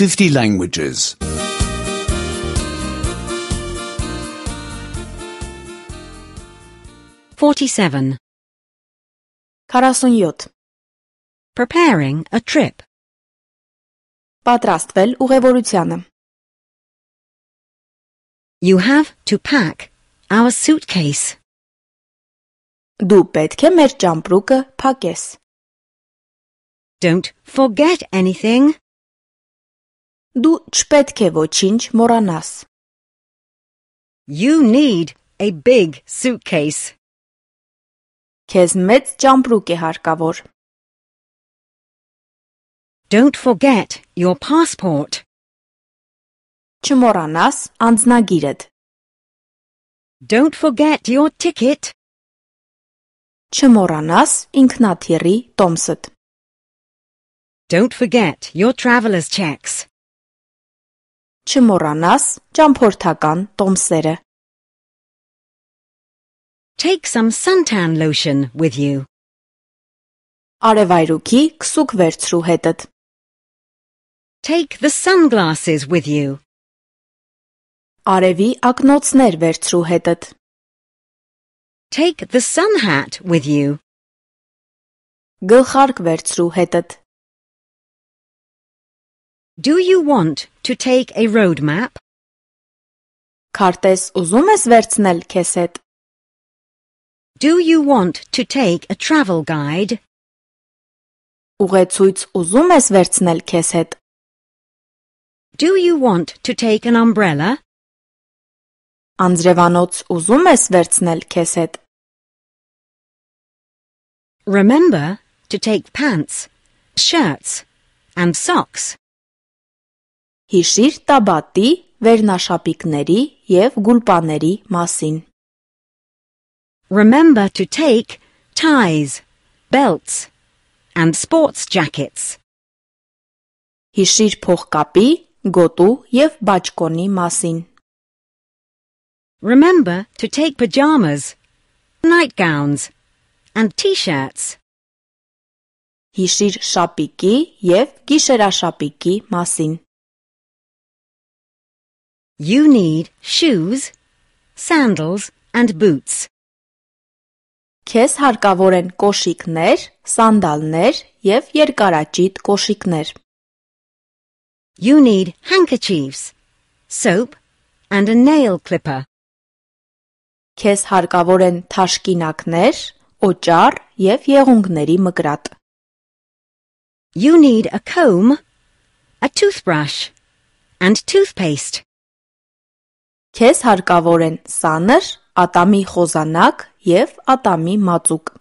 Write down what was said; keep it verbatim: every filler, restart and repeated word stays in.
fifty languages. forty-seven. քառասունյոթ. Preparing a trip. Պատրաստվել ուղևորությանը. You have to pack our suitcase. Դու պետք է մեր ճամպրուկը փակես. Don't forget anything. Դու չպետք է ոչինչ մոռանաս. You need a big suitcase. Քեզ մեծ ճամպրուկ է հարկավոր. Don't forget your passport. Չմոռանաս անձնագիրդ. Don't forget your ticket. Չմոռանաս ինքնաթիռի տոմսդ. Don't forget your traveler's checks. Չմոռանաս ճամփորդական տոմսերը. Take some suntan lotion with you. Արևայրուքի քսուկ վերցրու հետդ. Take the sunglasses with you. Արևի ակնոցներ վերցրու հետդ. Take the sun hat with you. Գլխարկ վերցրու հետդ. Do you want to take a road map? Քարտեզ ուզում ես վերցնել քեզ հետ. Do you want to take a travel guide? Ուղեցույց ուզում ես վերցնել քեզ հետ. Do you want to take an umbrella? Անձրևանոց ուզում ես վերցնել քեզ հետ. Remember to take pants, shirts, and socks. Հիշիր տաբատի, վերնաշապիկների և գուլպաների մասին. Remember to take ties, belts, and sports jackets. Հիշիր փողկապի, գոտու և բաճկոնի մասին. Remember to take pajamas, nightgowns, and t-shirts. Հիշիր շապիկի և գիշերաշապիկի մասին. You need shoes, sandals, and boots. Քեզ հարկավոր են կոշիկներ, սանդալներ և երկարաճիտ կոշիկներ. You need handkerchiefs, soap, and a nail clipper. Քեզ հարկավոր են թաշկինակներ, օճառ և եղունգների մկրատ. You need a comb, a toothbrush, and toothpaste. Քեզ հարկավոր են սանր, ատամի խոզանակ և ատամի մածուկ.